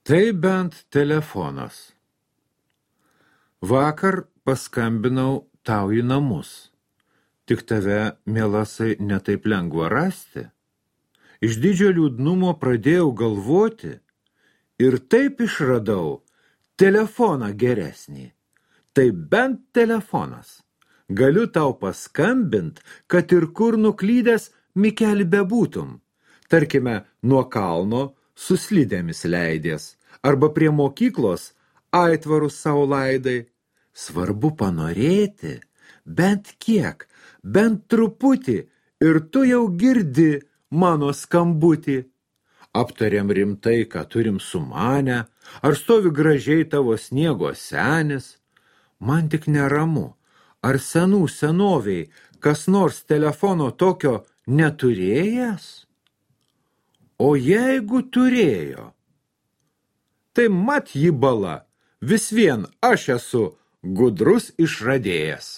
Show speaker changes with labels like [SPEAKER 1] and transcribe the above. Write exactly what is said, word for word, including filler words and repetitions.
[SPEAKER 1] Tai bent telefonas. Vakar paskambinau tau į namus. Tik tave, mielasai, netaip lengva rasti. Iš didžio liūdnumo pradėjau galvoti ir taip išradau telefoną geresnį. Tai bent telefonas. Galiu tau paskambint, kad ir kur nuklydęs Mikeli bebūtum. Tarkime, nuo kalno su slidėmis leidės, arba prie mokyklos aitvarus sau laidai. Svarbu panorėti, bent kiek, bent truputį, ir tu jau girdi mano skambutį. Aptariam rimtai, ką turim sumanę, ar stovi gražiai tavo sniego senis. Man tik neramu, ar senų senoviai kas nors telefono tokio neturėjęs? O jeigu turėjo, tai mat jį bala, vis vien aš esu gudrus išradėjas.